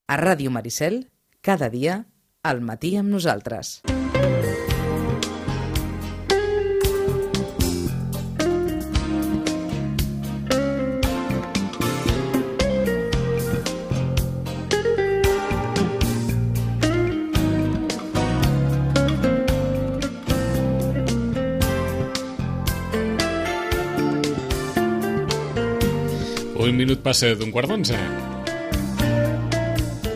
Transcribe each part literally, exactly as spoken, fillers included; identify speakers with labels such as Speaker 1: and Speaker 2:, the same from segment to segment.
Speaker 1: A Ràdio Maricel, cada dia, al matí amb nosaltres.
Speaker 2: Un minut passa d'un quart d'onze.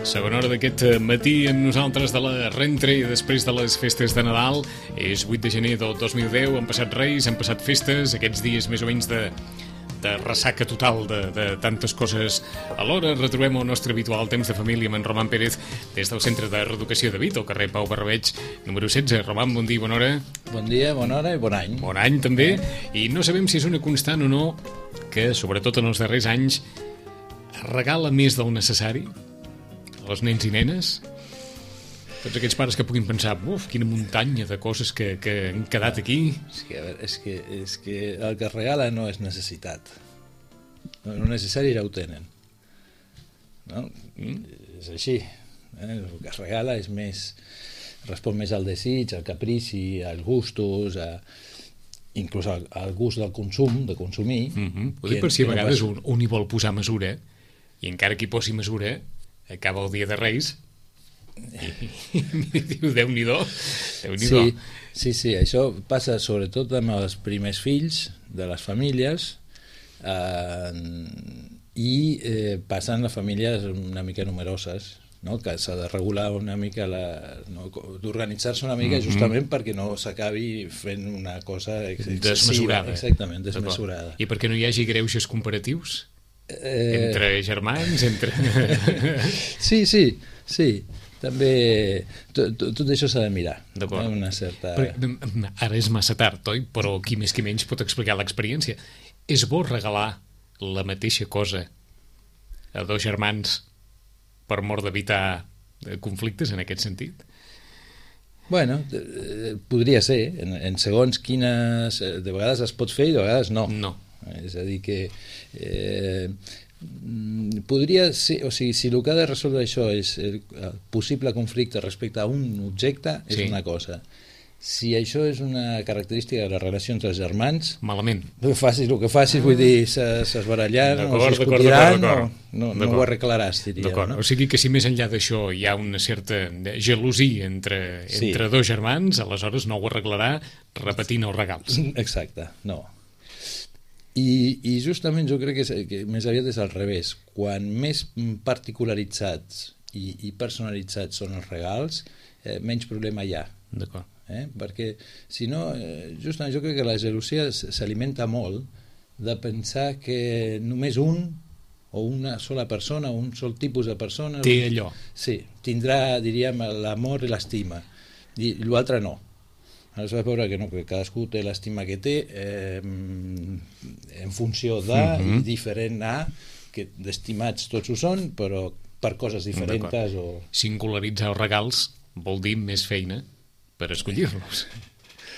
Speaker 2: Segona hora d'aquest matí amb nosaltres de la rentre i després de les festes de Nadal. És vuit de gener del dos mil deu, han passat Reis, han passat festes, aquests dies més o menys de, de ressaca total de, de tantes coses. Alhora retrobem el nostre habitual temps de família amb en Roman Pérez des del Centre de Reeducació de Vit, al carrer Pau Barrabeig, número setze. Roman, bon dia, bona hora.
Speaker 3: Bon dia, bona hora i bon any.
Speaker 2: Bon any també, i no sabem si és una constant o no que, sobretot en els darrers anys, regala més del necessari als nens i nenes. Tots aquells pares que puguin pensar, uf, quina muntanya de coses que, que han quedat aquí.
Speaker 3: És que, a veure, és, que, és que el que es regala no és necessitat. El necessari ja ho tenen. No? Mm. És així. Eh? El que es regala és més... respon més al desig, al caprici, als gustos, a, inclús al, al gust del consum, de consumir.
Speaker 2: Mm-hmm. Ho dic per si a vegades un, un hi vol posar mesura, i encara que hi posi mesura, acaba el dia de Reis i, i diu, Déu-n'hi-do, Déu-n'hi-do.
Speaker 3: Sí, sí, sí, això passa sobretot amb els primers fills de les famílies eh, i eh, passa en les famílies una mica numeroses, no? Que s'ha de regular una mica, la, no? d'organitzar-se una mica, mm-hmm. justament perquè no s'acabi fent una cosa excessiva,
Speaker 2: desmesurada.
Speaker 3: Exactament, desmesurada.
Speaker 2: I perquè no hi hagi greuges comparatius?
Speaker 3: Eh...
Speaker 2: Entre germans, entre...
Speaker 3: sí, sí, sí. També tot, tot això s'ha de mirar.
Speaker 2: D'acord.
Speaker 3: Eh? Una certa...
Speaker 2: Però, ara és massa tard, oi? Però qui més qui menys pot explicar l'experiència. És bo regalar la mateixa cosa a dos germans per mort d'evitar conflictes en aquest sentit?
Speaker 3: Bueno, podria ser. En, en segons quines... De vegades es pot fer i de vegades no.
Speaker 2: No.
Speaker 3: És a dir que eh, podria ser, o sigui, si el que ha de resoldre això és el possible conflicte respecte a un objecte, és sí. Una cosa. Si això és una característica de la relació entre els germans,
Speaker 2: malament.
Speaker 3: Facis el que facis, ah. vull dir, s'esbarallar, no es discutiran, no, no, no ho arreglaràs, diria. No?
Speaker 2: O sigui que si més enllà d'això hi ha una certa gelosia entre, sí. entre dos germans, aleshores no ho arreglarà repetint els regals.
Speaker 3: Exacte, no. I, i justament jo crec que, és, que més aviat és al revés. Quan més particularitzats i, i personalitzats són els regals, eh, menys problema hi ha.
Speaker 2: D'acord.
Speaker 3: Eh? Perquè si no, eh, justament jo crec que la gelosia s'alimenta molt de pensar que només un o una sola persona, un sol tipus de persona
Speaker 2: té allò.
Speaker 3: Sí, tindrà, diríem, l'amor i l'estima, i l'altre no. Aleshores vas veure que no, que cadascú té l'estima que té eh, en funció de, mm-hmm. i diferent a, que d'estimats tots ho són, però per coses diferents. O...
Speaker 2: Singularitzar els regals vol dir més feina per escollir-los,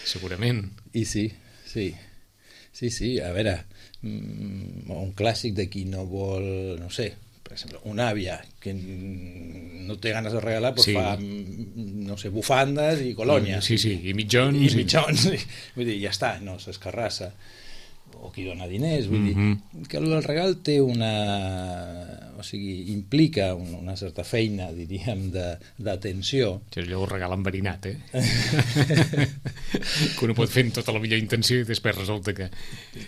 Speaker 2: segurament.
Speaker 3: I sí, sí, sí, sí, a veure, un clàssic de qui no vol, no sé, per exemple, una àvia que no té ganes de regalar, però sí. Fa, no sé, bufandes i colònia.
Speaker 2: Sí, sí, i mitjons.
Speaker 3: I mitjons, i... vull dir, ja està, no s'escarrassa. O qui dona diners, vull mm-hmm. dir, que el regal té una... o sigui, implica una certa feina, diríem, d'atenció.
Speaker 2: Això és allò un regal enverinat, eh? Que uno pot fer amb tota la millor intenció i després resulta que...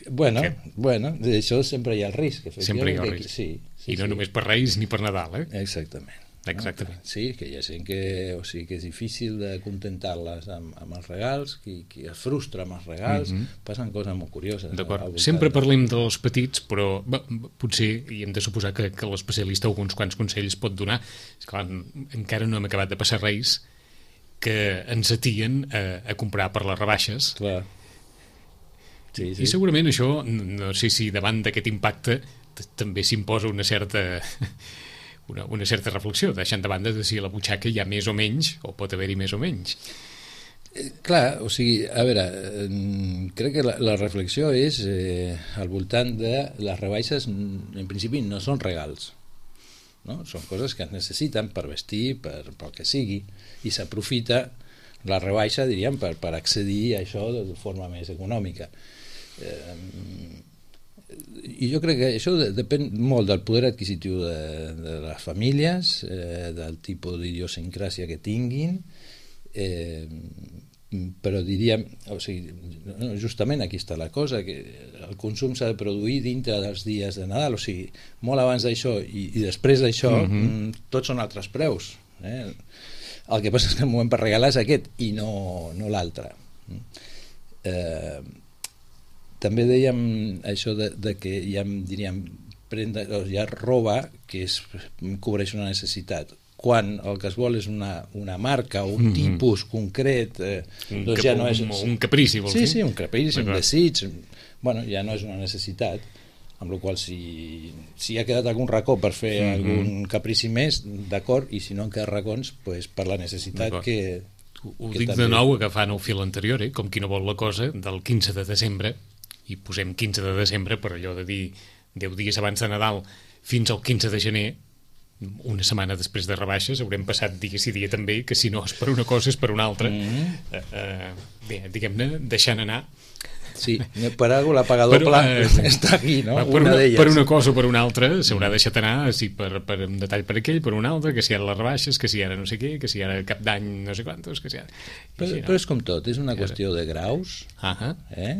Speaker 3: Bueno,
Speaker 2: que...
Speaker 3: bueno, d'això sempre hi ha el risc.
Speaker 2: Sempre hi ha el risc.
Speaker 3: Sí, sí,
Speaker 2: I no
Speaker 3: sí.
Speaker 2: Només per Reis ni per Nadal, eh?
Speaker 3: Exactament.
Speaker 2: Exactament.
Speaker 3: No? Sí, que hi ha gent que, o sigui, que és difícil de contentar-les amb, amb els regals, qui, qui es frustra amb els regals, mm-hmm. passen coses molt curioses.
Speaker 2: D'acord. Sempre parlem dels petits, però bé, potser hi hem de suposar que, que l'especialista alguns quants consells pot donar. Esclar, encara no hem acabat de passar Reis que ens atien a, a comprar per les rebaixes.
Speaker 3: Clar. Sí, sí.
Speaker 2: I segurament això, no sé si davant d'aquest impacte també s'imposa una certa... Una, una certa reflexió, deixant de banda de si a la butxaca hi ha més o menys, o pot haver-hi més o menys.
Speaker 3: Eh, clar, o sigui, a veure, eh, crec que la, la reflexió és eh, al voltant de les rebaixes, en principi no són regals. no? Són coses que es necessiten per vestir, per, pel que sigui, i s'aprofita la rebaixa, diríem, per, per accedir a això de forma més econòmica. Eh, i jo crec que això depèn molt del poder adquisitiu de, de les famílies, eh, del tipus d'idiosincràsia que tinguin, eh, però diríem, o sigui, justament aquí està la cosa, que el consum s'ha de produir dintre dels dies de Nadal, o sigui, molt abans d'això i, i després d'això, mm-hmm. tots són altres preus. Eh? El que passa és que el moment per regalar és aquest i no, no l'altre. Eh, també dèiem això de, de que hi ha, diríem, prenda, hi ha roba que es, cobreix una necessitat. Quan el que es vol és una, una marca o un mm-hmm. tipus concret, eh,
Speaker 2: un,
Speaker 3: doncs
Speaker 2: cap,
Speaker 3: ja no és...
Speaker 2: Un, un caprici, vols
Speaker 3: sí,
Speaker 2: dir?
Speaker 3: Sí, sí, un caprici, un desig. Bueno, ja no és una necessitat, amb la qual si, si ha quedat algun racó per fer mm-hmm. algun caprici més, d'acord, i si no en queden racons, pues, per la necessitat que...
Speaker 2: Ho que dic també... de nou agafant el fil anterior, eh? Com qui no vol la cosa, del quinze de desembre, i posem quinze de desembre per allò de dir deu dies abans de Nadal fins al quinze de gener, una setmana després de rebaixes, haurem passat dia sí dia també, que si no és per una cosa és per una altra. Mm-hmm. eh, eh, bé, diguem-ne, deixant anar.
Speaker 3: Sí, per algú la paga doble eh, està aquí, no?
Speaker 2: Per una, una per una cosa o per una altra s'haurà deixat anar, sí, per, per un detall per aquell, per un altre, que si ara les rebaixes, que si ara no sé què, que si ara cap d'any no sé quantos, que si ara...
Speaker 3: Però, així, no? Però és com tot, és una qüestió de graus,
Speaker 2: uh-huh.
Speaker 3: eh?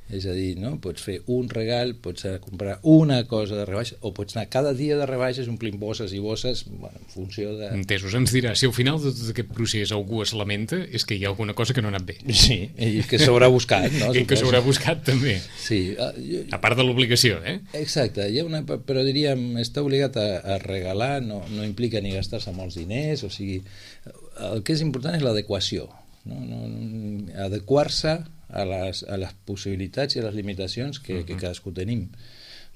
Speaker 3: És a dir, no? Pots fer un regal, pots comprar una cosa de rebaixa, o pots anar cada dia de rebaixes omplint bosses i bosses, bueno, en funció de...
Speaker 2: Entesos, ens dirà, si al final de tot aquest procés algú es lamenta, és que hi ha alguna cosa que no ha anat bé.
Speaker 3: Sí, i que s'haurà buscat, no?
Speaker 2: I que s'haurà buscat també.
Speaker 3: Sí. Uh, jo...
Speaker 2: A part de l'obligació, eh?
Speaker 3: Exacte, hi ha una... però diríem, està obligat a, a regalar, no, no implica ni gastar-se molts diners, o sigui, el que és important és l'adequació, no? No, no, adequar-se a les, a les possibilitats i a les limitacions que, uh-huh. que cadascú tenim,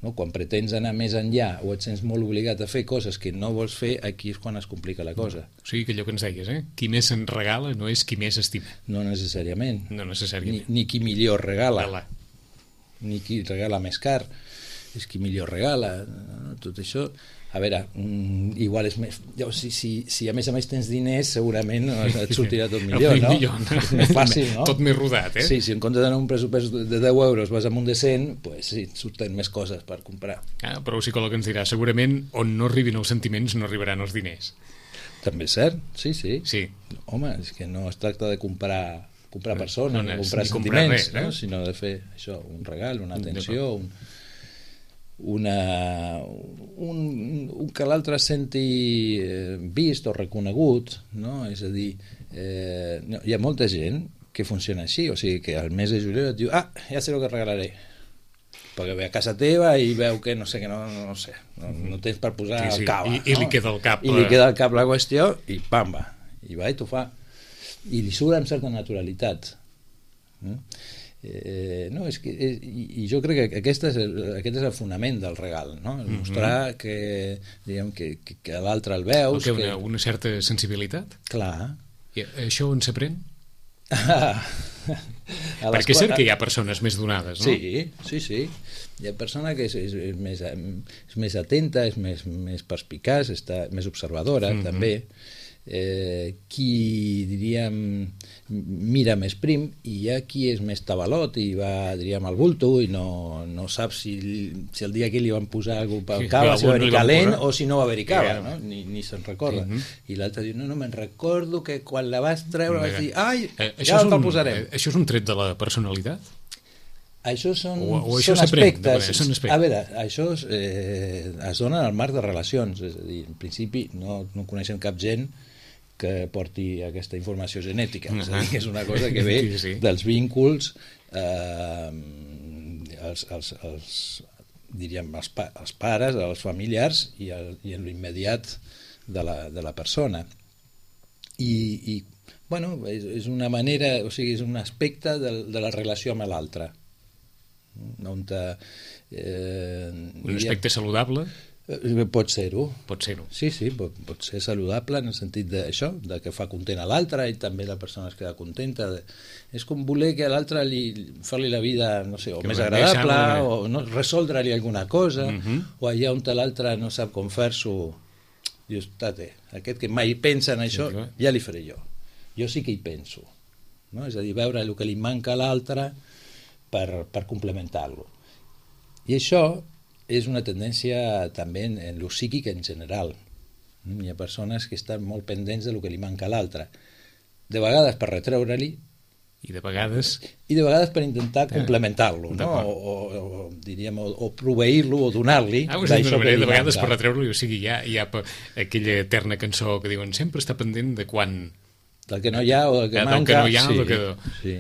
Speaker 3: no? Quan pretens anar més enllà o et sents molt obligat a fer coses que no vols fer, aquí és quan es complica la cosa.
Speaker 2: O sigui que allò que ens deies, eh? Qui més se'n regala no és qui més estima.
Speaker 3: No necessàriament.
Speaker 2: No necessàriament.
Speaker 3: Ni, ni qui millor regala.
Speaker 2: Regala.
Speaker 3: Ni qui regala més car. És qui millor regala. Tot això... A veure, mm, igual és més... Si, si, si a més a més tens diners, segurament et sortirà tot millor, no?
Speaker 2: millor.
Speaker 3: És més fàcil, no?
Speaker 2: Tot més rodat, eh?
Speaker 3: Sí, si en comptes d'anar un pressupost de deu euros vas amb un de cent, pues sí, surten més coses per comprar.
Speaker 2: Ah, però el psicòleg ens dirà, segurament on no arribin els sentiments no arribaran els diners.
Speaker 3: També és cert, sí, sí.
Speaker 2: Sí.
Speaker 3: Home, és que no es tracta de comprar, comprar persones, no, no,
Speaker 2: no
Speaker 3: comprar
Speaker 2: ni
Speaker 3: sentiments,
Speaker 2: comprar res, eh?
Speaker 3: no? Sinó de fer això, un regal, una atenció, un... una, un, un que l'altre senti vist o reconegut, no? És a dir, eh, no, hi ha molta gent que funciona així, o sigui que al mes de juliol et diu, ah, ja sé el que regalaré, perquè ve a casa teva i veu que no sé, que no, no sé, no, no tens per posar
Speaker 2: sí, sí.
Speaker 3: el cava,
Speaker 2: I, i
Speaker 3: no?
Speaker 2: li queda el cap
Speaker 3: i li queda el cap la qüestió i pam, va, i va i t'ho fa i li surt amb certa naturalitat. Mm? Eh, no, és que, és, i, i jo crec que aquest és, el, aquest és el fonament del regal, no? El mostrar mm-hmm. que, diguem, que, que, que l'altre el veus,
Speaker 2: que una,
Speaker 3: que...
Speaker 2: una certa sensibilitat.
Speaker 3: Clar.
Speaker 2: I això on s'aprèn? Perquè és cert que hi ha persones més donades, no?
Speaker 3: Sí, sí, sí. Hi ha persona que és, és, és, més, és més atenta, és més, més perspicaç, està més observadora, mm-hmm. també. Eh, qui, diríem, mira més prim, i hi ha qui és més tabalot i va, diríem, al bulto i no, no sap si, si el dia que li van posar alguna cosa pel cava, si va haver-hi calent o si no va haver-hi cava, no? ni, ni se'n recorda. Uh-huh. I l'altre diu, no, no, me'n recordo que quan la vas treure vas dir, ai,
Speaker 2: eh,
Speaker 3: ja te'l
Speaker 2: un,
Speaker 3: posarem.
Speaker 2: Eh, això és un tret de la personalitat?
Speaker 3: Això són,
Speaker 2: o, o això
Speaker 3: són, aspectes.
Speaker 2: Són aspectes.
Speaker 3: A veure, això eh, es dona en el marc de relacions, és a dir, en principi no, no coneixem cap gent que porti aquesta informació genètica, uh-huh. és a dir, que és una cosa que ve
Speaker 2: sí, sí.
Speaker 3: dels vínculs eh, els, els, els, diríem, els, pa, els pares, els familiars i, el, i en l'immediat de la, de la persona. I, i bueno, és, és una manera, o sigui, és un aspecte de, de la relació amb l'altre. On te, eh,
Speaker 2: un aspecte saludable?
Speaker 3: Pot ser-ho.
Speaker 2: Pot ser-ho.
Speaker 3: Sí, sí, pot, pot ser saludable en el sentit d'això, de que fa content a l'altre i també la persona es queda contenta. De... És com voler que a l'altre li fer-li la vida, no sé, o que més agradable, o no, resoldre-li alguna cosa, uh-huh. o allà on l'altre no sap com fer-s'ho, Dius, tate, aquest que mai pensa en això, ja li faré jo. Jo sí que hi penso. No? És a dir, veure el que li manca a l'altre per, per complementar-lo. I això és una tendència també en, en lo psíquic en general. Hi ha persones que estan molt pendents de lo que li manca a l'altre. De vegades per retreure-li,
Speaker 2: i de vegades
Speaker 3: i de vegades per intentar complementar-lo, no? o, o, o, diríem, o, o proveir-lo o donar-li
Speaker 2: ah, d'això que li de vegades manca. Per retreure-lo, o sigui, hi ha, hi ha aquella eterna cançó que diuen sempre està pendent de quan
Speaker 3: del que no hi ha o del que
Speaker 2: eh,
Speaker 3: manca,
Speaker 2: del que no hi ha,
Speaker 3: sí,
Speaker 2: o, que...
Speaker 3: sí.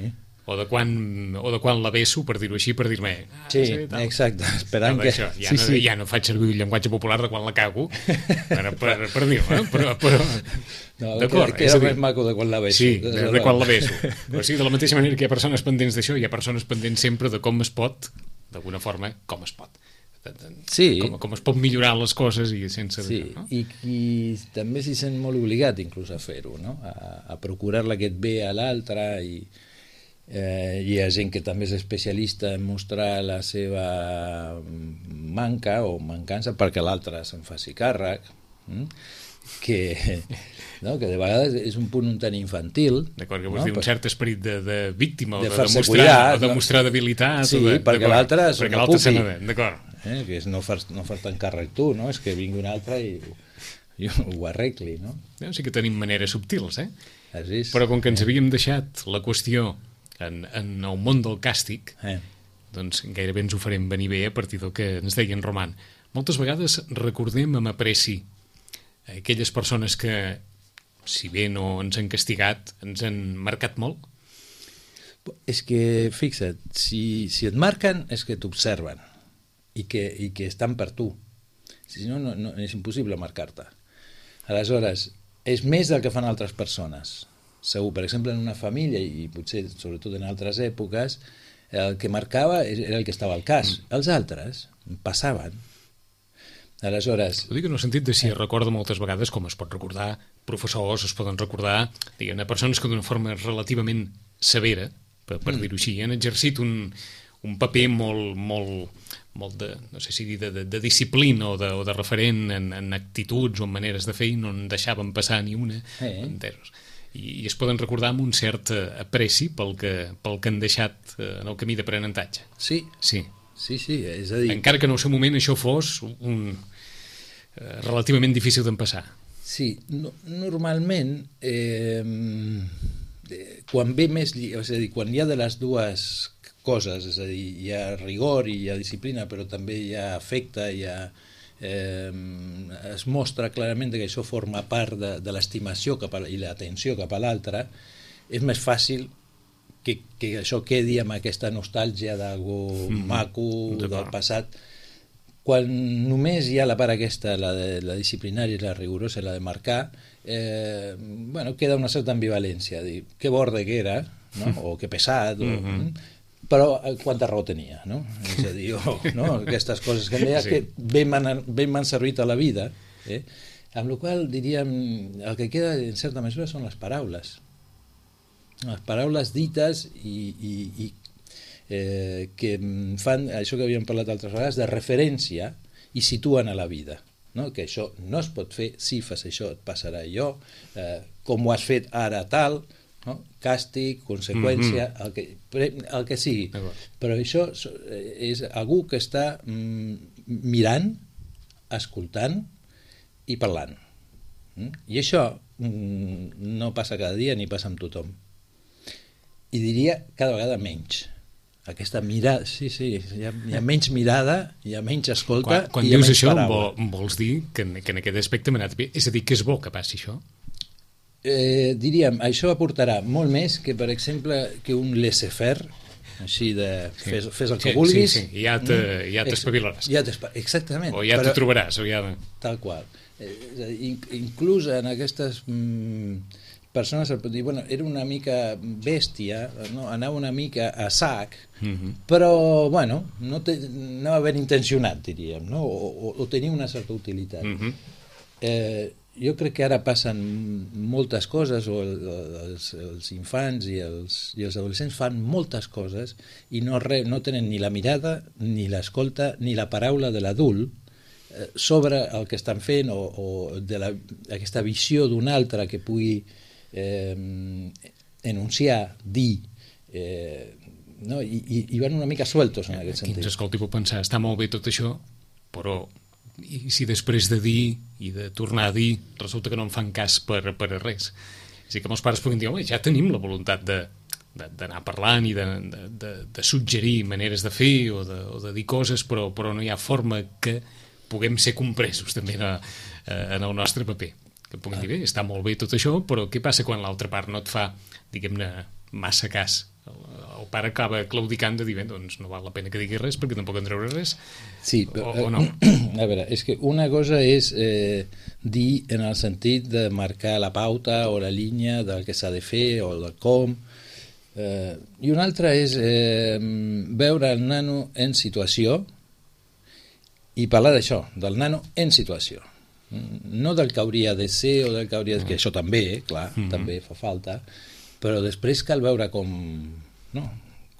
Speaker 2: o de quan o de quan la beso, per dir-ho així, per dir-me ah,
Speaker 3: sí, sí exacte, esperant no, que
Speaker 2: això, ja,
Speaker 3: sí,
Speaker 2: no,
Speaker 3: sí.
Speaker 2: ja no faig servir el llenguatge popular de quan la cago per, per, per dir-me, però, però
Speaker 3: no, d'acord, que, que era més maco de quan la beso,
Speaker 2: sí, de, de quan la beso, o sigui, de la mateixa manera que hi ha persones pendents d'això, hi ha persones pendents sempre de com es pot, d'alguna forma com es pot
Speaker 3: sí.
Speaker 2: com, com es pot millorar les coses i sense
Speaker 3: sí.
Speaker 2: això, no?
Speaker 3: I, i també s'hi sent molt obligat inclús a fer-ho, no? a, a procurar-la aquest bé a l'altre i Eh, hi ha gent que també és especialista en mostrar la seva manca o mancança perquè l'altre se'n faci càrrec, hm? que, no? que de vegades és un punt un tant infantil.
Speaker 2: D'acord, que vols no? dir un cert esperit de, de víctima
Speaker 3: de
Speaker 2: o de, de mostrar,
Speaker 3: cuidat,
Speaker 2: o de mostrar debilitat.
Speaker 3: Sí,
Speaker 2: o de,
Speaker 3: perquè l'altre
Speaker 2: se n'ha d'acord.
Speaker 3: Eh, que és no fer-te no fer càrrec tu, no? És que vingui un altre i, i ho arregli, no?
Speaker 2: no? Sí que tenim maneres subtils, eh?
Speaker 3: És,
Speaker 2: però com que ens havíem deixat la qüestió En, en el món del càstig,
Speaker 3: eh.
Speaker 2: doncs gairebé ens ho farem venir bé a partir del que ens deia en Roman. Moltes vegades recordem amb apreci aquelles persones que, si bé no ens han castigat, ens han marcat molt.
Speaker 3: És que, fixa't, si, si et marquen és que t'observen i que, i que estan per tu. Si no, no, no, és impossible marcar-te. Aleshores, és més del que fan altres persones. Segur, per exemple, en una família, i potser sobretot en altres èpoques, el que marcava era el que estava al cas. Mm. Els altres passaven. Aleshores...
Speaker 2: Ho dic en el sentit de si es recorda moltes vegades, com es pot recordar, professors es poden recordar, diguem, persones que d'una forma relativament severa, per, per mm. dir-ho així, han exercit un, un paper molt, molt, molt de, no sé si dir, de, de, de disciplina o de, o de referent en, en actituds o en maneres de fer i no en deixaven passar ni una,
Speaker 3: eh.
Speaker 2: enteros. I, i es poden recordar amb un cert apreci pel que, pel que han deixat en el camí d'aprenentatge.
Speaker 3: Sí,
Speaker 2: sí,
Speaker 3: sí, sí, és a dir...
Speaker 2: Encara que en el seu moment això fos un, eh, relativament difícil d'empassar.
Speaker 3: Sí, no, normalment eh, quan ve més... És a dir, quan hi ha de les dues coses, és a dir, hi ha rigor i hi ha disciplina, però també hi ha afecte, hi ha... Eh, es mostra clarament que això forma part de, de l'estimació cap a, i l'atenció cap a l'altre, és més fàcil que, que això quedi amb aquesta nostàlgia d'algú mm, maco del passat. Quan només hi ha la part aquesta, la, de, la disciplinària i la rigorosa, la de marcar, eh, bueno, queda una certa ambivalència, dir, que borde que era, no? O que pesat, o... Mm-hmm. Però quanta raó tenia, no? És a dir, oh, no? Aquestes coses que deia sí. que ben m'han servit a la vida, eh? Amb la qual diríem, el que queda en certa mesura són les paraules. Les paraules dites i, i, i eh, que fan això que havíem parlat altres vegades, de referència i situen a la vida. No? Que això no es pot fer, si fas això et passarà allò, eh, com ho has fet ara tal... No? Càstig, conseqüència, mm-hmm. el, que, el que sigui. Però això és algú que està mm, mirant, escoltant i parlant. Mm? I això mm, no passa cada dia ni passa amb tothom. I diria cada vegada menys. Aquesta mirada, sí, sí, hi ha, hi ha menys mirada, hi ha menys escolta
Speaker 2: quan, quan
Speaker 3: i hi ha menys
Speaker 2: això,
Speaker 3: paraula.
Speaker 2: Quan dius això vols dir que, que en aquest aspecte m'ha anat bé? És a dir, que és bo que passi això?
Speaker 3: Eh, diríem, això aportarà molt més que, per exemple, que un laissez-faire, així de sí. fes, fes el que
Speaker 2: sí,
Speaker 3: vulguis.
Speaker 2: Sí, sí, ja t'espavilaràs.
Speaker 3: Ja exactament.
Speaker 2: O ja te trobaràs. O ja...
Speaker 3: Tal qual. Eh, inclús en aquestes mm, persones et pot dir, bueno, era una mica bèstia, no? Anava una mica a sac, mm-hmm. però, bueno, no te, anava ben intencionat, diríem, no? O, o, o tenia una certa utilitat. Mm-hmm. Eh, jo crec que ara passen moltes coses, o els, els infants i els, i els adolescents fan moltes coses i no, re, no tenen ni la mirada, ni l'escolta, ni la paraula de l'adult sobre el que estan fent o, o de la, aquesta visió d'un altre que pugui eh, enunciar, dir, eh, no? I, i, i van una mica sueltos en aquest sentit.
Speaker 2: Aquí ens escolti, puc pensar, està molt bé tot això, però i si després de dir i de tornar a dir resulta que no en fan cas per, per a res? És a dir, que molts pares puguin dir, home, ja tenim la voluntat de d'anar parlant i de, de, de, de suggerir maneres de fer o de, o de dir coses, però, però no hi ha forma que puguem ser compresos també en, en el nostre paper. Que puguin dir, bé, està molt bé tot això, però què passa quan l'altra part no et fa, diguem-ne, massa cas? El, el pare acaba claudicant de dir, bé, doncs no val la pena que digui res perquè tampoc en treure res,
Speaker 3: sí,
Speaker 2: o, o no?
Speaker 3: A veure, és que una cosa és eh, dir en el sentit de marcar la pauta o la línia del que s'ha de fer o del com, eh, i una altra és eh, veure el nano en situació i parlar d'això, del nano en situació, no del que hauria de ser o del que hauria de... que això també, clar, mm-hmm. també fa falta, però després cal veure com, no,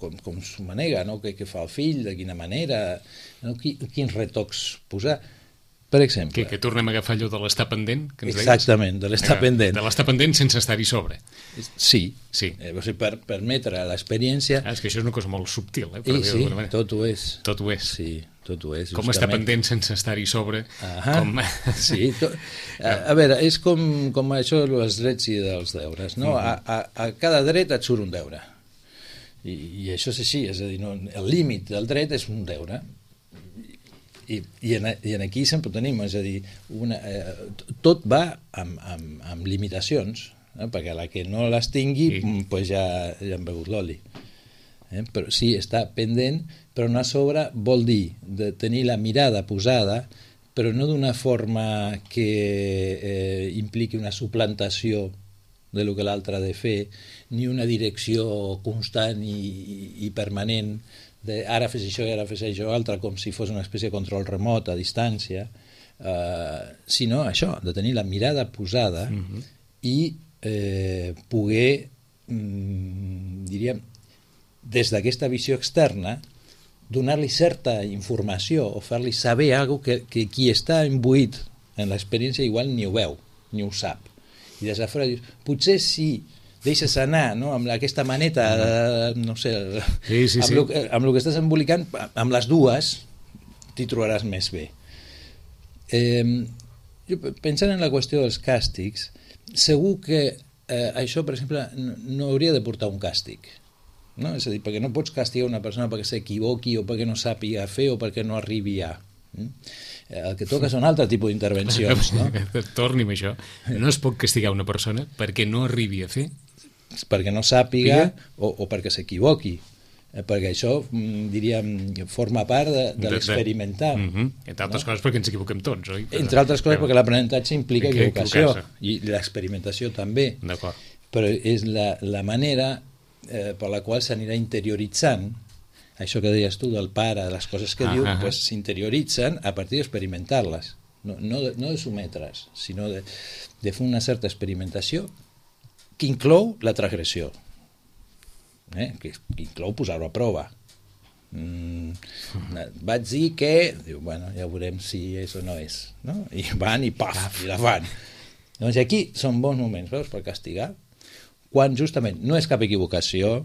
Speaker 3: com, com s'ho manega, no? Què, què fa el fill, de quina manera, no? Quins retocs posar. Per exemple...
Speaker 2: Que, que tornem a agafar allò de l'estar pendent? Que ens
Speaker 3: exactament,
Speaker 2: deies?
Speaker 3: de l'estar pendent.
Speaker 2: De l'estar pendent sense estar-hi sobre.
Speaker 3: Sí,
Speaker 2: sí.
Speaker 3: Eh, o sigui, per permetre l'experiència...
Speaker 2: Ah, és que això és una cosa molt subtil, eh?
Speaker 3: I, sí, tot ho és.
Speaker 2: Tot ho és.
Speaker 3: Sí, tot ho és.
Speaker 2: Com
Speaker 3: justament.
Speaker 2: estar pendent sense estar-hi sobre.
Speaker 3: Ahà, com... sí. To... A, a veure, és com, com això dels drets i dels deures, no? Uh-huh. a, a, a cada dret et surt un deure. I, i això és així, és a dir, no, el límit del dret és un deure. I, i, en, i en aquí sempre ho tenim, és a dir, una, eh, tot va amb, amb, amb limitacions, eh, perquè la que no les tingui sí. pues ja, ja han begut l'oli. Eh? Però sí, està pendent, però no a sobre vol dir de tenir la mirada posada, però no d'una forma que eh, impliqui una suplantació de lo que l'altre ha de fer, ni una direcció constant i, i, i permanent de ara fes això i ara fes això altre, com si fos una espècie de control remot a distància, eh, sinó això, de tenir la mirada posada uh-huh. i eh, poder, mm, diríem, des d'aquesta visió externa, donar-li certa informació o fer-li saber alguna cosa que, que qui està imbuït en l'experiència igual ni ho veu, ni ho sap. I des de fora dius, potser sí, deixes anar, no? Amb aquesta maneta, eh, no sé,
Speaker 2: sí, sí,
Speaker 3: amb,
Speaker 2: sí.
Speaker 3: Lo, amb el que estàs embolicant, amb les dues t'hi trobaràs més bé. Eh, jo, pensant en la qüestió dels càstigs, segur que eh, això, per exemple, no, no hauria de portar un càstig. No? És a dir, perquè no pots castigar una persona perquè s'equivoqui o perquè no sàpiga fer o perquè no arribi a... El que toca són altre tipus d'intervencions, no?
Speaker 2: Torni'm això. No es pot castigar una persona perquè no arribi a fer?
Speaker 3: Perquè no sàpiga o, o perquè s'equivoqui. Eh, perquè això, diríem, forma part de, de, de l'experimentar.
Speaker 2: Uh -huh. Entre altres no? coses perquè ens equivoquem tots, oi? Però,
Speaker 3: Entre altres coses però... perquè l'aprenentatge implica
Speaker 2: que
Speaker 3: equivocació i l'experimentació també.
Speaker 2: D'acord.
Speaker 3: Però és la, la manera eh, per la qual s'anirà interioritzant això que deies tu del pare, les coses que ah, diu, ah, pues, s'interioritzen a partir d'experimentar-les, no, no, de, no de sometre's, sinó de, de fer una certa experimentació que inclou la transgressió, eh? que, que inclou posar-ho a prova. Mm, vaig dir que, diu, bueno, ja veurem si és o no és, no? I van i paf, i la fan. Doncs aquí són bons moments, veus, per castigar, quan justament no és cap equivocació,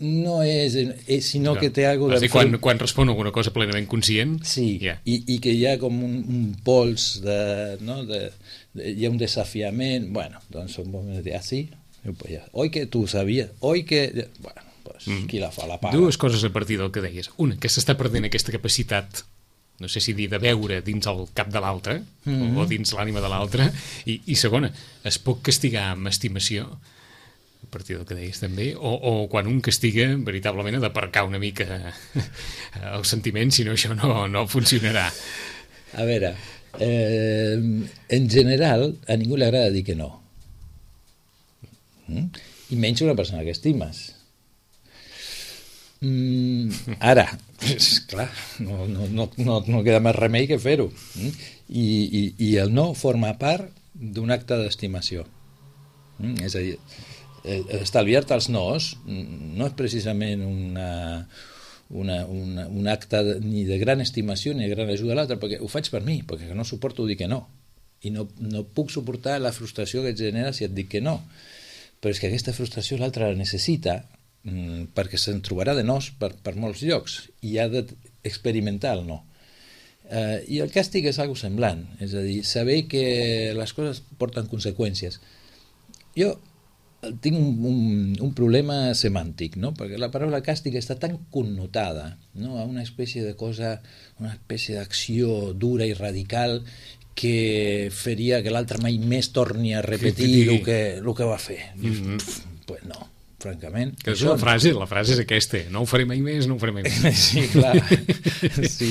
Speaker 3: no és, és sinó no. que té alguna
Speaker 2: cosa... Quan, quan respon alguna cosa plenament conscient...
Speaker 3: Sí, yeah. i, i que hi ha com un, un pols, de, no? de, de, hi ha un desafiament, bueno, doncs un moment de dir, ah, sí? Pues ja. Oi que tu sabies, oi que... Bueno, pues, mm. qui la fa, la paga.
Speaker 2: Dues coses a partir del que deies. Una, que s'està perdent aquesta capacitat, no sé si dir de veure dins el cap de l'altre, mm-hmm. o, o dins l'ànima de l'altre, i, i segona, es pot castigar amb estimació, a partir del que deies també, o, o quan un castiga veritablement ha d'aparcar una mica el sentiment, si no això no, no funcionarà.
Speaker 3: A veure, eh, en general a ningú li agrada dir que no, mm? i menys una persona que estimes. Mm, ara, clar, no, no, no, no, no queda més remei que fer-ho, mm? I, i, i el no forma part d'un acte d'estimació, mm? És a dir, estalviar-te els nos no és precisament una, una, una, un acte de, ni de gran estimació ni de gran ajuda a l'altre, perquè ho faig per mi, perquè no suporto dir que no, i no, no puc suportar la frustració que et genera si et dic que no, però és que aquesta frustració l'altre la necessita mmm, perquè se'n trobarà de nos per, per molts llocs i ha d'experimentar el no. Uh, i el càstig és algo semblant, és a dir, saber que les coses porten conseqüències. Jo tinc un, un, un problema semàntic, no? Perquè la paraula càstig està tan connotada, no? A una espècie de cosa, una espècie d'acció dura i radical que faria que l'altre mai més torni a repetir el que, el que va fer. Mm-hmm. Pff, pues no, francament.
Speaker 2: Que és la frase, la frase és aquesta, no ho faré mai més, no ho faré mai més.
Speaker 3: Sí, clar. Sí.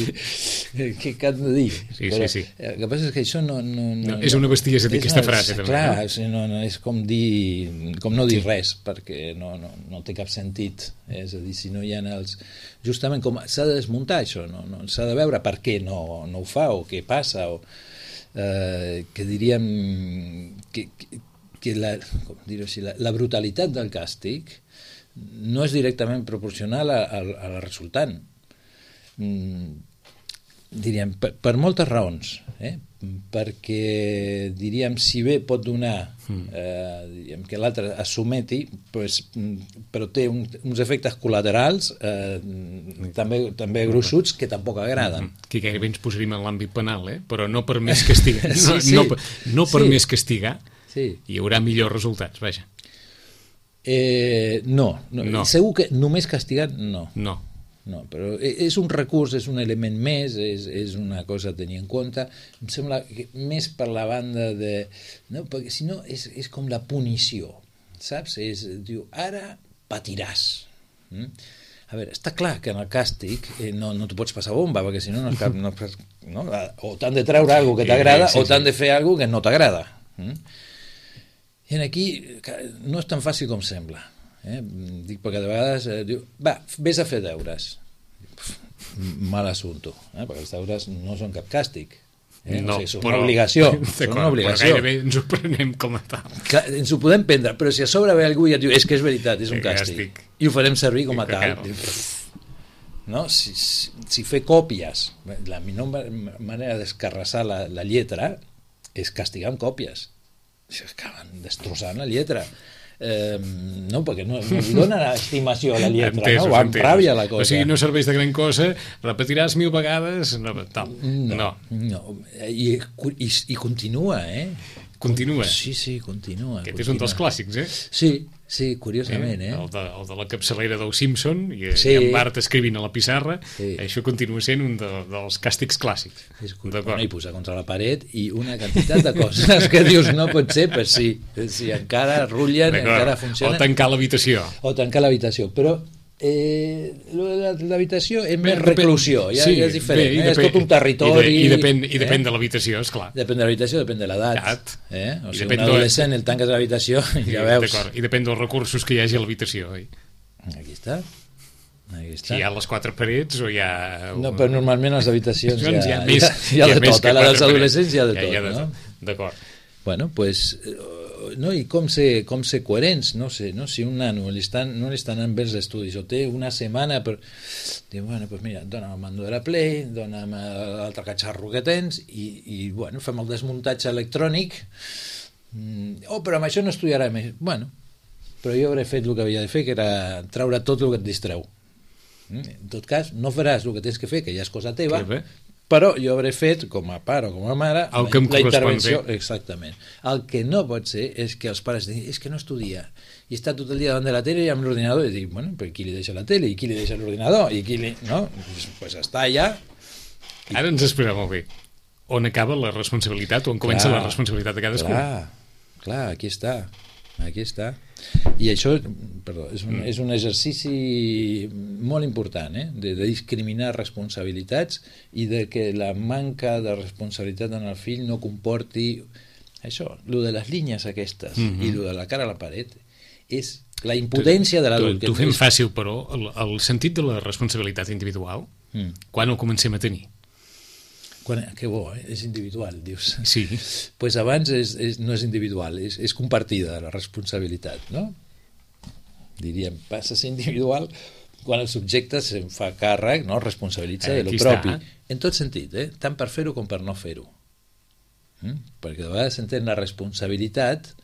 Speaker 3: Què que han de dir?
Speaker 2: Sí,
Speaker 3: però,
Speaker 2: sí, sí.
Speaker 3: El que passa és que això no... no, no,
Speaker 2: no és una bestiesa dir aquesta frase, també.
Speaker 3: Clar,
Speaker 2: no?
Speaker 3: No, no, és com dir com no dir sí. res, perquè no, no, no té cap sentit. És a dir, si no hi ha els... Justament com s'ha de desmuntar això, no? No, s'ha de veure per què no, no ho fa, o què passa, o eh, que diríem que, que, que la, com dir-ho així, la, la brutalitat del càstig no és directament proporcional a, a, a la resultant. Mm, diríem, per, per moltes raons, eh? Perquè diríem, si bé pot donar eh, diríem, que l'altre es someti, pues, però té un, uns efectes col·laterals eh, també, també gruixuts que tampoc agraden.
Speaker 2: Que gairebé ens posaríem en l'àmbit penal, eh? Però no per més castigar, no, sí, sí. no, no per sí. més castigar sí. hi haurà millors resultats, vaja.
Speaker 3: Eh, no, no, no, segur que només castigar no.
Speaker 2: No.
Speaker 3: No, però és un recurs, és un element més, és, és una cosa a tenir en compte. Em sembla que més per la banda de... No, perquè si no és, és com la punició, saps? És, diu, ara patiràs. Mm? A veure, està clar que en el càstig eh, no, no t'ho pots passar bomba, perquè si no, no, no, no o t'han de treure alguna que t'agrada sí, sí, sí. o t'han de fer alguna que no t'agrada. Mm? I aquí no és tan fàcil com sembla. Eh? Dic perquè de vegades eh, diu, va, vés a fer deures. Pff, mal assumpte, eh? Perquè els deures no són cap càstig, eh?
Speaker 2: No,
Speaker 3: o sigui, són
Speaker 2: però,
Speaker 3: una obligació, són una obligació.
Speaker 2: Però gairebé ens ho prenem com a tal.
Speaker 3: Clar, ens ho podem prendre, però si a sobre ve algú i et diu és que és veritat, és un càstig, càstig. I ho farem servir com a tal, no? Si, si, si fer còpies, la millor manera d'escarrassar la, la lletra és castigar amb còpies, acaben destrossant la lletra. Eh, no, perquè no, no li dona estimació a la lletra, entesos, no? Va amb ràbia la cosa.
Speaker 2: O sigui, no serveix de gran cosa, repetiràs mil vegades, no, tal.
Speaker 3: No,
Speaker 2: no.
Speaker 3: no. I, i, i continua, eh?
Speaker 2: Continua?
Speaker 3: Sí, sí, continua.
Speaker 2: Aquest
Speaker 3: continua.
Speaker 2: és un dels clàssics, eh?
Speaker 3: Sí, sí, curiosament, eh?
Speaker 2: El de, el de la capçalera del Simpson i,
Speaker 3: sí.
Speaker 2: i en Bart escrivint a la pissarra, sí. Això continua sent un de, dels càstigs clàssics.
Speaker 3: És bueno, i posar contra la paret i una quantitat de coses que dius no pot ser, però sí, sí encara rullen, encara funcionen.
Speaker 2: O tancar l'habitació.
Speaker 3: O tancar l'habitació, però eh, l'habitació és més reclusió, ja, sí, ja és diferent, bé, eh?
Speaker 2: Depèn,
Speaker 3: és tot un territori.
Speaker 2: I, de, i depèn, i depèn eh? de l'habitació, esclar.
Speaker 3: Depèn de l'habitació, depèn de l'edat. Eh? O sigui, un adolescent el tanques a l'habitació i ja veus.
Speaker 2: I depèn dels recursos que hi hagi a l'habitació. Oi?
Speaker 3: Aquí està. Aquí està.
Speaker 2: Si hi ha les quatre parets o hi ha...
Speaker 3: No, però normalment a les habitacions hi ha,
Speaker 2: hi ha, més,
Speaker 3: hi ha, hi ha de tot. A les dels adolescents hi ha de tot.
Speaker 2: Hi ha de
Speaker 3: no?
Speaker 2: tot. D'acord.
Speaker 3: Bueno, pues... No, i com ser, com ser coherents, no sé, no? Si un nano li estan, no li estan anant bé els estudis o té una setmana per... Diu, bueno, pues mira, dona'm el mando de la Play, dona'm l'altre catxarro que tens i, i bueno, fem el desmuntatge electrònic. Mm, oh, però amb això no estudiarà més. Bueno, però jo hauré fet el que havia de fer, que era treure tot el que et distreu. Mm? En tot cas, no faràs el que tens que fer, que ja és cosa teva, però jo hauré fet, com a pare o com a mare,
Speaker 2: el que
Speaker 3: la intervenció. Exactament. El que no pot ser és que els pares diguin, és que no estudia, i està tot el dia davant de la tele i amb l'ordinador, i dic, bueno, però qui li deixa la tele, i qui li deixa l'ordinador, i qui li... No? Pues, pues està allà.
Speaker 2: I... Ara ens explica molt bé on acaba la responsabilitat, on comença clar, la responsabilitat de cadascú.
Speaker 3: Clar, clar, aquí està. Aquí està. I això, perdó, és un, mm. és un exercici molt important, eh? de, de discriminar responsabilitats i de que la manca de responsabilitat en el fill no comporti això, lo de les línies aquestes mm-hmm. i lo de la cara a la paret és la impotència de l'adult.
Speaker 2: T'ho fem fàcil, però el, el sentit de la responsabilitat individual, mm. quan ho comencem a tenir?
Speaker 3: Quan, que bo, eh? És individual, dius.
Speaker 2: Sí.
Speaker 3: Pues abans és, és, no és individual, és, és compartida la responsabilitat, no? Diríem, passa a ser individual quan el subjecte se'n fa càrrec, no? Responsabilitza
Speaker 2: Eh,
Speaker 3: de lo
Speaker 2: aquí
Speaker 3: propi.
Speaker 2: està.
Speaker 3: En tot sentit, eh? Tant per fer-ho com per no fer-ho. Mm? Perquè de vegades s'entén la responsabilitat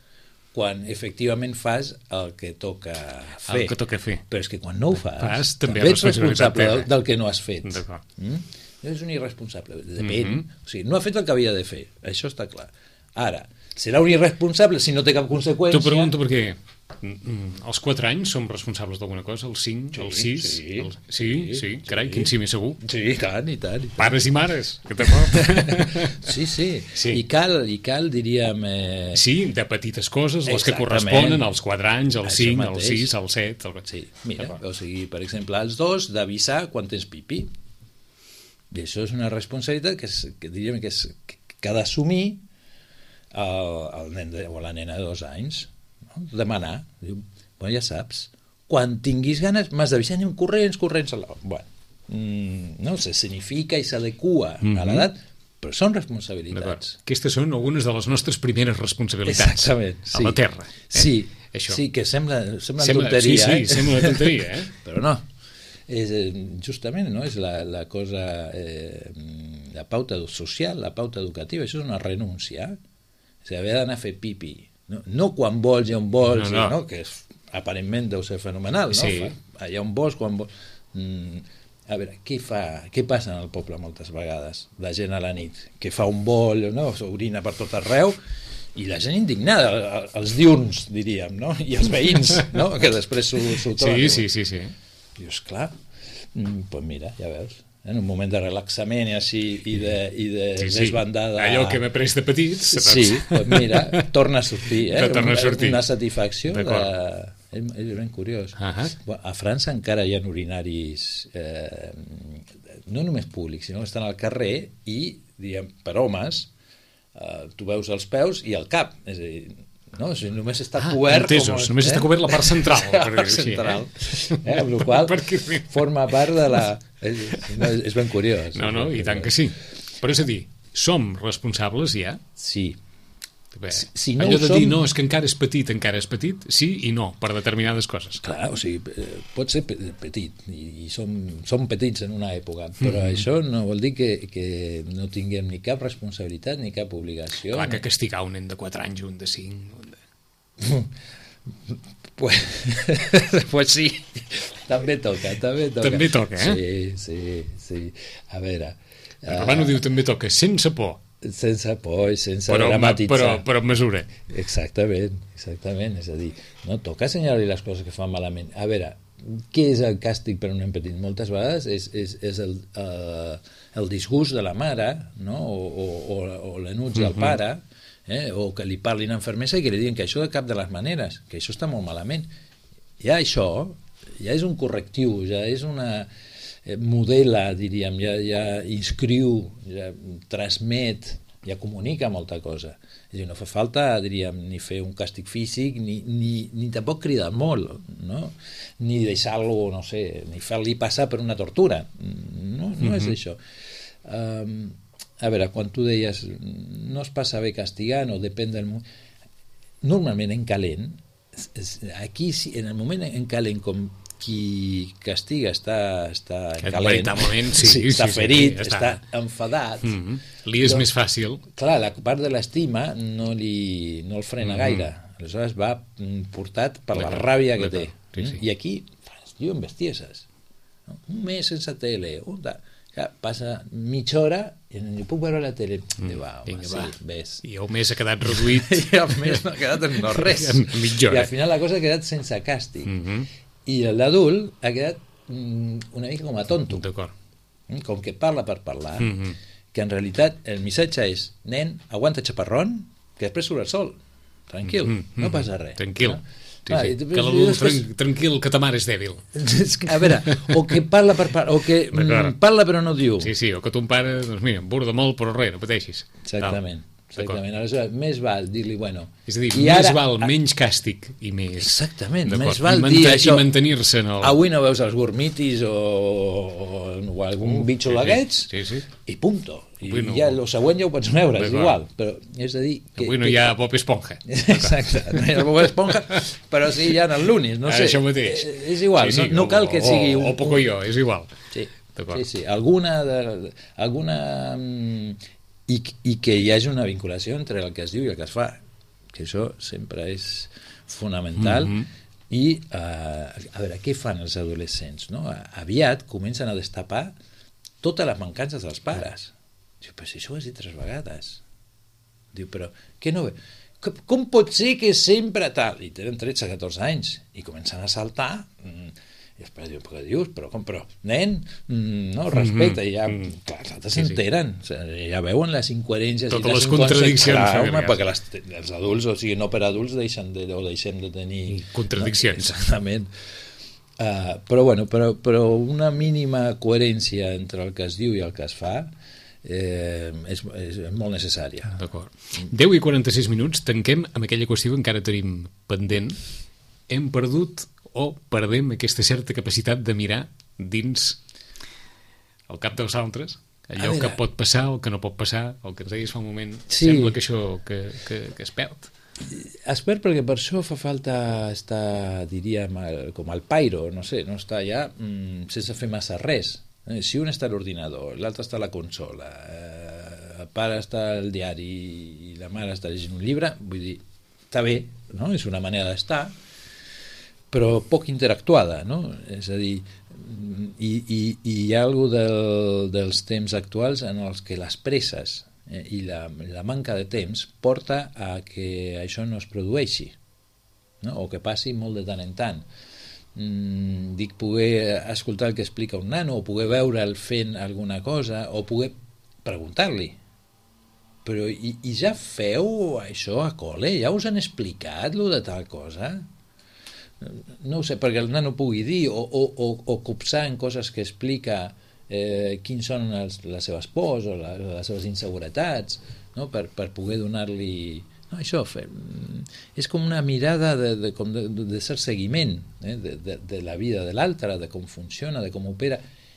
Speaker 3: quan efectivament fas el que toca fer.
Speaker 2: El que toca fer.
Speaker 3: Però és que quan no ho fas,
Speaker 2: Fas, també
Speaker 3: també
Speaker 2: és
Speaker 3: ets responsable
Speaker 2: responsabilitat
Speaker 3: del, del que no has fet.
Speaker 2: D'acord.
Speaker 3: Mm? És un irresponsable. Depèn.
Speaker 2: Mhm.
Speaker 3: O sigui, no ha fet el que havia de fer. Això està clar. Ara, serà un irresponsable si no té cap conseqüència.
Speaker 2: T'ho pregunto perquè mm, als quatre anys som responsables d'alguna cosa, als cinc,
Speaker 3: Sí,
Speaker 2: als sis...
Speaker 3: sí.
Speaker 2: als... sí, sí,
Speaker 3: Sí,
Speaker 2: carai,
Speaker 3: sí.
Speaker 2: quin sí més segur.
Speaker 3: Sí, i tant, i tant. I tant.
Speaker 2: Pares i mares, que t'acord?
Speaker 3: Sí, sí,
Speaker 2: Sí.
Speaker 3: I cal, i cal diríem... Eh...
Speaker 2: Sí, de petites coses, les que
Speaker 3: Exactament.
Speaker 2: corresponen als quatre anys, als
Speaker 3: Això
Speaker 2: cinc, als
Speaker 3: mateix.
Speaker 2: sis, als set... El...
Speaker 3: Sí, mira,
Speaker 2: D'acord.
Speaker 3: o sigui, per exemple, als dos, d'avisar quan tens pipí. I això és una responsabilitat que, és, que diríem que, és, que ha d'assumir el, el nen de, o la nena de dos anys. No? Demanar. Diu, bueno, ja saps, quan tinguis ganes m'has d'avisar, anem corrents, corrents a la... Bueno, mm, no, se significa i s'adequa
Speaker 2: Mhm.
Speaker 3: a l'edat, però són
Speaker 2: D'acord.
Speaker 3: responsabilitats.
Speaker 2: Aquestes són algunes de les nostres primeres responsabilitats
Speaker 3: Exactament, sí.
Speaker 2: a la Terra. Eh?
Speaker 3: Sí,
Speaker 2: Això.
Speaker 3: sí, que sembla, sembla,
Speaker 2: Sembla,
Speaker 3: tonteria,
Speaker 2: sí, sí,
Speaker 3: eh?
Speaker 2: sembla una tonteria, eh?
Speaker 3: Però no. És, eh, justament, no? És la, la cosa, eh, la pauta social, la pauta educativa, això és una renúncia. O sigui, haver d'anar a fer pipi. No, no quan vols i on vols,
Speaker 2: No, no.
Speaker 3: no? Que és, aparentment deu ser fenomenal, no?
Speaker 2: Sí.
Speaker 3: Fa, allà on vols, quan vols... Mm, a veure, què fa, què passa en el poble moltes vegades? La gent a la nit, que fa un bol, no? S'orina per tot arreu, i la gent indignada, els diurns, diríem, no? I els veïns, no? Que després s'ho troben.
Speaker 2: Sí, sí, sí, sí.
Speaker 3: Dius, clar, doncs pues mira, ja veus, en un moment de relaxament i així, i de, i de
Speaker 2: Sí, sí.
Speaker 3: desbandada...
Speaker 2: Allò que hem après de petits.
Speaker 3: Sí, doncs mira, torna a sortir, eh?
Speaker 2: Torna a sortir.
Speaker 3: Una satisfacció de...
Speaker 2: D'acord.
Speaker 3: És, és ben curiós.
Speaker 2: Ahà.
Speaker 3: Bueno, a França encara hi ha urinaris eh, no només públics, sinó que estan al carrer i, diguem, per homes, eh, tu veus els peus i el cap, és a dir, no? O sigui, només està
Speaker 2: Ah,
Speaker 3: cobert...
Speaker 2: entesos,
Speaker 3: com,
Speaker 2: només està cobert la part central,
Speaker 3: la
Speaker 2: per
Speaker 3: part
Speaker 2: dir-ho així,
Speaker 3: central.
Speaker 2: eh?
Speaker 3: Eh? Amb la qual
Speaker 2: Perquè sí.
Speaker 3: forma part de la... És, no, és ben curiós.
Speaker 2: No, no, i tant que sí. Però és a dir, som responsables ja?
Speaker 3: Sí.
Speaker 2: Bé,
Speaker 3: Si- si no
Speaker 2: allò
Speaker 3: ho
Speaker 2: de
Speaker 3: som-
Speaker 2: dir no, és que encara és petit, encara és petit, sí i no, per determinades coses.
Speaker 3: Clar, o sigui, eh, pot ser pe- petit, i, i som, som petits en una època, però
Speaker 2: Mhm.
Speaker 3: això no vol dir que, que no tinguem ni cap responsabilitat ni cap obligació.
Speaker 2: Clar que
Speaker 3: ni-
Speaker 2: castigar un nen de quatre anys, un de cinc... Un de...
Speaker 3: Pues, pues sí, també toca, també toca.
Speaker 2: També toca, eh?
Speaker 3: Sí, sí, sí. A veure...
Speaker 2: El Rabano
Speaker 3: eh,
Speaker 2: diu també toca sense por,
Speaker 3: sense por i sense
Speaker 2: però,
Speaker 3: dramatitzar.
Speaker 2: però, però amb mesura.
Speaker 3: Exactament, exactament. És a dir, no toca assenyalar-li les coses que fan malament. A veure, què és el càstig per un nen petit? Moltes vegades és, és, és el, uh, el disgust de la mare, no? o, o, o, o l'enuig del
Speaker 2: Mhm.
Speaker 3: pare, eh? o que li parlin amb fermesa i que li diguin que això de cap de les maneres, que això està molt malament. Ja això, ja és un correctiu, ja és una... eh, modela, diríem, ja, ja inscriu, ja transmet, ja comunica molta cosa. És a dir, no fa falta, diríem, ni fer un càstig físic, ni, ni, ni tampoc cridar molt, no? Ni deixar-lo, no sé, ni fer-li passar per una tortura. No, no és
Speaker 2: Mhm.
Speaker 3: això. Um, a veure, quan tu deies no es passa bé castigant o depèn del moment... Normalment en calent, es- es- aquí sí, en el moment en calent com qui castiga està, està
Speaker 2: Que
Speaker 3: calent,
Speaker 2: veritablement, sí, sí,
Speaker 3: està
Speaker 2: sí, sí,
Speaker 3: ferit,
Speaker 2: ja
Speaker 3: està.
Speaker 2: està.
Speaker 3: enfadat,
Speaker 2: Mm -hmm. Li és
Speaker 3: Doncs-
Speaker 2: més fàcil.
Speaker 3: clar, la part de l'estima no, li, no el frena
Speaker 2: Mhm.
Speaker 3: gaire. Aleshores va mm, portat per la
Speaker 2: D'acord,
Speaker 3: ràbia que té.
Speaker 2: d'acord, sí, sí.
Speaker 3: I aquí es diuen bestieses. No? Un mes sense tele, un da... Clar, passa mitja hora i no puc veure la tele. Mm. Diu, va, home,
Speaker 2: Vinga,
Speaker 3: sí,
Speaker 2: va.
Speaker 3: ves.
Speaker 2: I el mes ha quedat reduït.
Speaker 3: I al mes no ha quedat en no res.
Speaker 2: En mitja hora.
Speaker 3: I al final la cosa ha quedat sense càstig.
Speaker 2: Mm -hmm.
Speaker 3: I l'adult ha quedat mm, una mica com a tonto.
Speaker 2: D'acord.
Speaker 3: Mm, com que parla per parlar,
Speaker 2: Mm -hmm.
Speaker 3: que en realitat el missatge és, nen, aguanta xaparrón, que després surt el sol. Tranquil,
Speaker 2: Mm,
Speaker 3: no
Speaker 2: mm.
Speaker 3: passa res.
Speaker 2: Tranquil.
Speaker 3: No?
Speaker 2: Sí,
Speaker 3: Ah,
Speaker 2: sí.
Speaker 3: i
Speaker 2: Que
Speaker 3: després-
Speaker 2: l'adult,
Speaker 3: després-
Speaker 2: tran tranquil, que ta mare és dèbil.
Speaker 3: És que, a veure, o que parla per parlar, o que
Speaker 2: D'acord.
Speaker 3: mm, parla però no diu.
Speaker 2: Sí, sí, o que ton pare, doncs mira, em borda molt, però res, no pateixis.
Speaker 3: Exactament. exactament. Aleshores, més val dir-li, bueno...
Speaker 2: És a dir, més ara, val menys càstig i més...
Speaker 3: Exactament, més val
Speaker 2: I
Speaker 3: dir això...
Speaker 2: I mantenir-se en el...
Speaker 3: Avui no veus els gormitis o, o, o algun uh, bitxo
Speaker 2: sí,
Speaker 3: d'aquests,
Speaker 2: sí, sí.
Speaker 3: i punto. I
Speaker 2: no...
Speaker 3: ja el següent ja ho pots veure, és igual. Però és a dir... Que,
Speaker 2: avui no
Speaker 3: que...
Speaker 2: hi ha Bob Esponja.
Speaker 3: Exacte, no hi ha Bob Esponja, però sí hi ha el Lunis, no sé.
Speaker 2: Això mateix.
Speaker 3: És igual, sí, sí, no, no cal que sigui...
Speaker 2: O,
Speaker 3: un...
Speaker 2: o Pocoyo, és igual.
Speaker 3: Sí, sí, sí. Alguna... De, alguna I, i que hi hagi una vinculació entre el que es diu i el que es fa, que això sempre és fonamental. Mm-hmm. I uh, a veure, què fan els adolescents, no? Aviat comencen a destapar totes les mancances dels pares. Diu, però si això ho has dit tres vegades. Diu, però què no ve? Com pot ser que sempre tal? I tenen tretze catorze anys i comencen a saltar. Mm, i després diu, però què dius? Però com, però, nen, no, respecte, mm -hmm. i ja, mm. clar, els altres s'enteren, sí, sí. ja veuen les incoherències
Speaker 2: totes
Speaker 3: i les,
Speaker 2: les contradiccions,
Speaker 3: clar, home, perquè les, els adults, o sigui, no per adults deixen de, o deixem de tenir
Speaker 2: contradiccions,
Speaker 3: no, exactament. Uh, però bueno, però, però una mínima coherència entre el que es diu i el que es fa eh, és, és molt necessària.
Speaker 2: D'acord. deu i quaranta-sis minuts, tanquem amb aquella qüestió que encara tenim pendent. Hem perdut o perdem aquesta certa capacitat de mirar dins el cap dels altres, allò que pot passar o que no pot passar, el que ens deies fa un moment, sí. Sembla que això que, que, que es perd.
Speaker 3: Es perd perquè per això fa falta estar, diríem, com al pairo, no sé, no estar ja mm, sense fer massa res. Eh, si un està a l'ordinador, l'altre està a la consola, eh, el pare està al diari i la mare està llegint un llibre, vull dir, està bé, no? És una manera d'estar, però poc interactuada, no? És a dir, i, i, i hi ha alguna del, dels temps actuals en els que les presses eh, i la, la manca de temps porta a que això no es produeixi, no? O que passi molt de tant en tant. Mm, dic, poder escoltar el que explica un nano, o poder veure'l fent alguna cosa, o poder preguntar-li. Però i, i ja feu això a col·le? Ja us han explicat lo de tal cosa? No ho sé, perquè el nano pugui dir o, o, o, o copsar en coses que explica eh, quins són els, les seves pors o la, les seves inseguretats, no? per, per poder donar-li... No, això fer, és com una mirada de, de, com de, de cert seguiment eh? de, de, de la vida de l'altre, de com funciona, de com opera.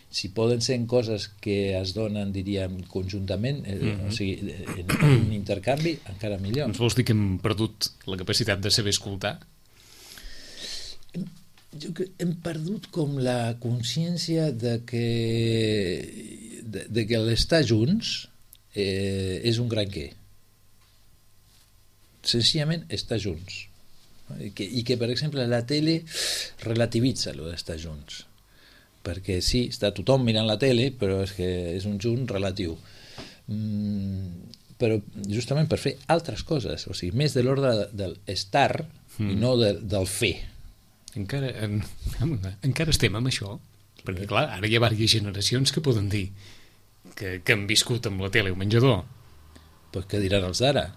Speaker 3: Si poden ser en coses que es donen, diríem, conjuntament, eh, mm-hmm. o sigui, en, en un intercanvi, encara millor.
Speaker 2: Ens vols dir que hem perdut la capacitat de saber escoltar?
Speaker 3: Jo que hem perdut com la consciència de que de, de que l'estar junts eh, és un gran què. Senzillament estar junts. I que, i que, per exemple, la tele relativitza allò d'estar junts. Perquè sí, està tothom mirant la tele, però és que és un junt relatiu. Mm, però justament per fer altres coses, o sigui, més de l'ordre de l'estar mm. i no de, del fer.
Speaker 2: Encara, en, encara estem amb això, perquè clar, ara hi ha diverses generacions que poden dir que, que han viscut amb la tele o menjador.
Speaker 3: Pues què diran els d'ara?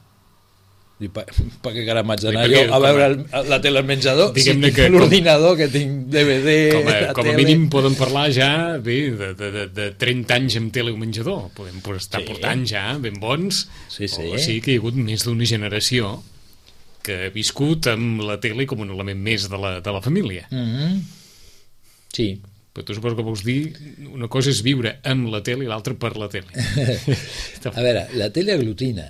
Speaker 3: Per, per què cara m'haig d'anar jo a veure el, la tele al menjador si tinc que, l'ordinador, que tinc D V D,
Speaker 2: com a,
Speaker 3: la
Speaker 2: com a
Speaker 3: tele...
Speaker 2: mínim poden parlar ja bé, de, de, de, de trenta anys amb tele o menjador, podem estar sí. portant ja ben bons,
Speaker 3: sí, sí.
Speaker 2: O sigui que hi ha hagut més d'una generació que ha viscut amb la tele com un element més de la, de la família.
Speaker 3: Mm-hmm. Sí.
Speaker 2: Però tu suposo que vols dir una cosa és viure amb la tele i l'altra per la tele.
Speaker 3: A veure, la tele aglutina,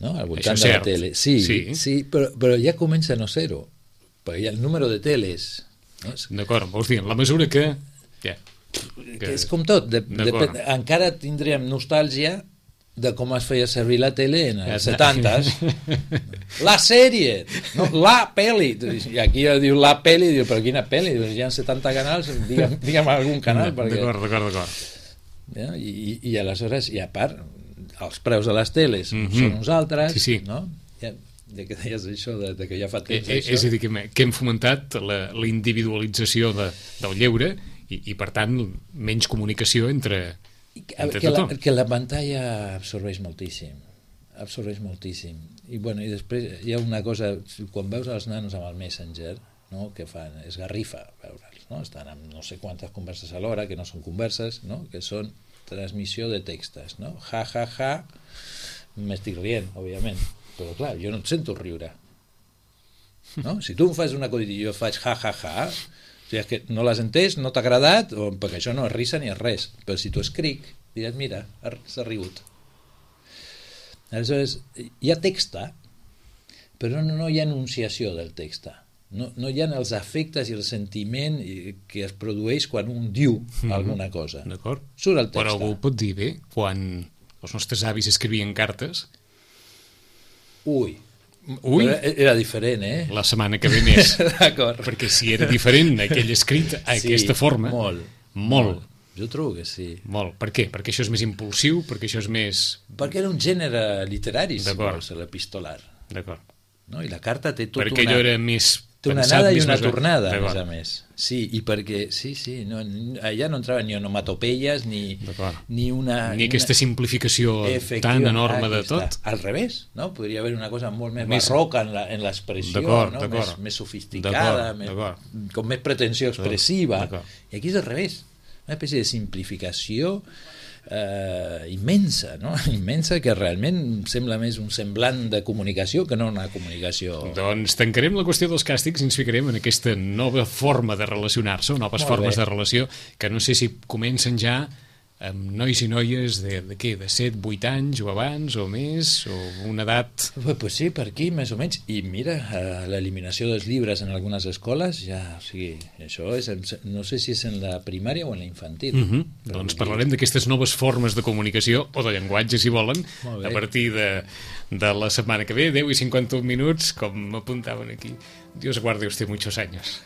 Speaker 3: no? Al voltant de la tele. Sí, sí. sí però, però ja comença a no ser-ho, perquè hi ha el número de teles. No?
Speaker 2: D'acord, vols dir, en la mesura que... Ja,
Speaker 3: que... que és com tot, de, de, encara tindríem nostàlgia de com es feia servir la tele en els setantes. La sèrie, no, la pel·li. I aquí diu la pel·li, diu, però quina pel·li? Diu, hi ha setanta canals, digue'm, digue'm algun canal. Perquè...
Speaker 2: D'acord, d'acord, d'acord.
Speaker 3: Ja, i, I aleshores, i a part, els preus de les teles mm-hmm. són uns altres,
Speaker 2: sí, sí.
Speaker 3: no? Ja, ja que deies això, de, de que ja fa temps
Speaker 2: eh,
Speaker 3: això.
Speaker 2: És a dir, que hem, que hem fomentat la, la individualització de, del lleure i, i, per tant, menys comunicació entre...
Speaker 3: Que, que, la, que la pantalla absorbeix moltíssim absorbeix moltíssim i, bueno, i després hi ha una cosa, quan veus els nanos amb el Messenger, no? Que fan, és garrifa veure'ls, no? Estan amb no sé quantes converses alhora, que no són converses, no? Que són transmissió de textos, no? Ja, ja, ja, m'estic rient, òbviament, però clar, jo no et sento riure. No? Si tu em fas un acudit i jo faig ha ha ha, o sigui, és que no l'has entès, no t'ha agradat, o, perquè això no és risa ni és res, però si tu escric, diràs, mira, s'ha rigut. Aleshores, hi ha texta, però no, no hi ha enunciació del texta. No, no hi ha els efectes i el sentiment que es produeix quan un diu mm-hmm. alguna cosa.
Speaker 2: D'acord.
Speaker 3: Surt el text.
Speaker 2: Però algú pot dir, bé, quan els nostres avis escrivien cartes...
Speaker 3: Ui,
Speaker 2: Ui.
Speaker 3: era diferent, eh?
Speaker 2: La setmana que ve més.
Speaker 3: D'acord.
Speaker 2: Perquè si era diferent aquell escrit a
Speaker 3: sí,
Speaker 2: aquesta forma...
Speaker 3: molt.
Speaker 2: Molt.
Speaker 3: molt. Jo trobo que sí.
Speaker 2: Molt. Per què? Perquè això és més impulsiu? Perquè això és més...
Speaker 3: Perquè era un gènere literari, si vols, l'epistolar.
Speaker 2: D'acord.
Speaker 3: No? I la carta té tot
Speaker 2: perquè
Speaker 3: una...
Speaker 2: allò era més...
Speaker 3: Té una anada i una tornada, a més a més. Sí, i perquè, sí, sí, no, allà no entraven ni onomatopeies, ni, ni una...
Speaker 2: Ni aquesta simplificació tan enorme de tot.
Speaker 3: Al revés, no? Podria haver una cosa molt més, més... barroca en l'expressió, no? més, més sofisticada, més, com més pretensió expressiva. I aquí és al revés, una espècie de simplificació eh, immensa, no? immensa, que realment sembla més un semblant de comunicació que no una comunicació.
Speaker 2: Doncs tancarem la qüestió dels càstigs i ens ficarem en aquesta nova forma de relacionar-se, noves
Speaker 3: Molt
Speaker 2: formes
Speaker 3: bé.
Speaker 2: de relació, que no sé si comencen ja amb nois i noies de, de què, de set, vuit anys o abans o més, o una edat...
Speaker 3: Pues, pues sí, per aquí més o menys. I mira, eh, l'eliminació dels llibres en algunes escoles, ja, o sigui, això és, no sé si és en la primària o en la infantil.
Speaker 2: Uh -huh. Doncs parlarem d'aquestes noves formes de comunicació, o de llenguatge, si volen, a partir de, de la setmana que ve, deu i cinquanta-un minuts, com m'apuntaven aquí. Dios guarde usted muchos años.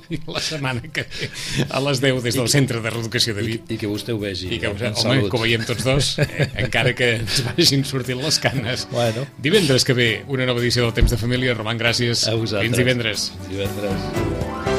Speaker 2: I la setmana que ve, a les deu, des del Centre de Reeducació de Vic.
Speaker 3: I, I que vostè ho vegi.
Speaker 2: I que, home, salut. Que ho veiem tots dos, eh, encara que ens vagin sortint les canes.
Speaker 3: Bueno.
Speaker 2: Divendres que ve, una nova edició del Temps de Família. Roman, gràcies.
Speaker 3: A vosaltres.
Speaker 2: Fins divendres.
Speaker 3: Fins divendres.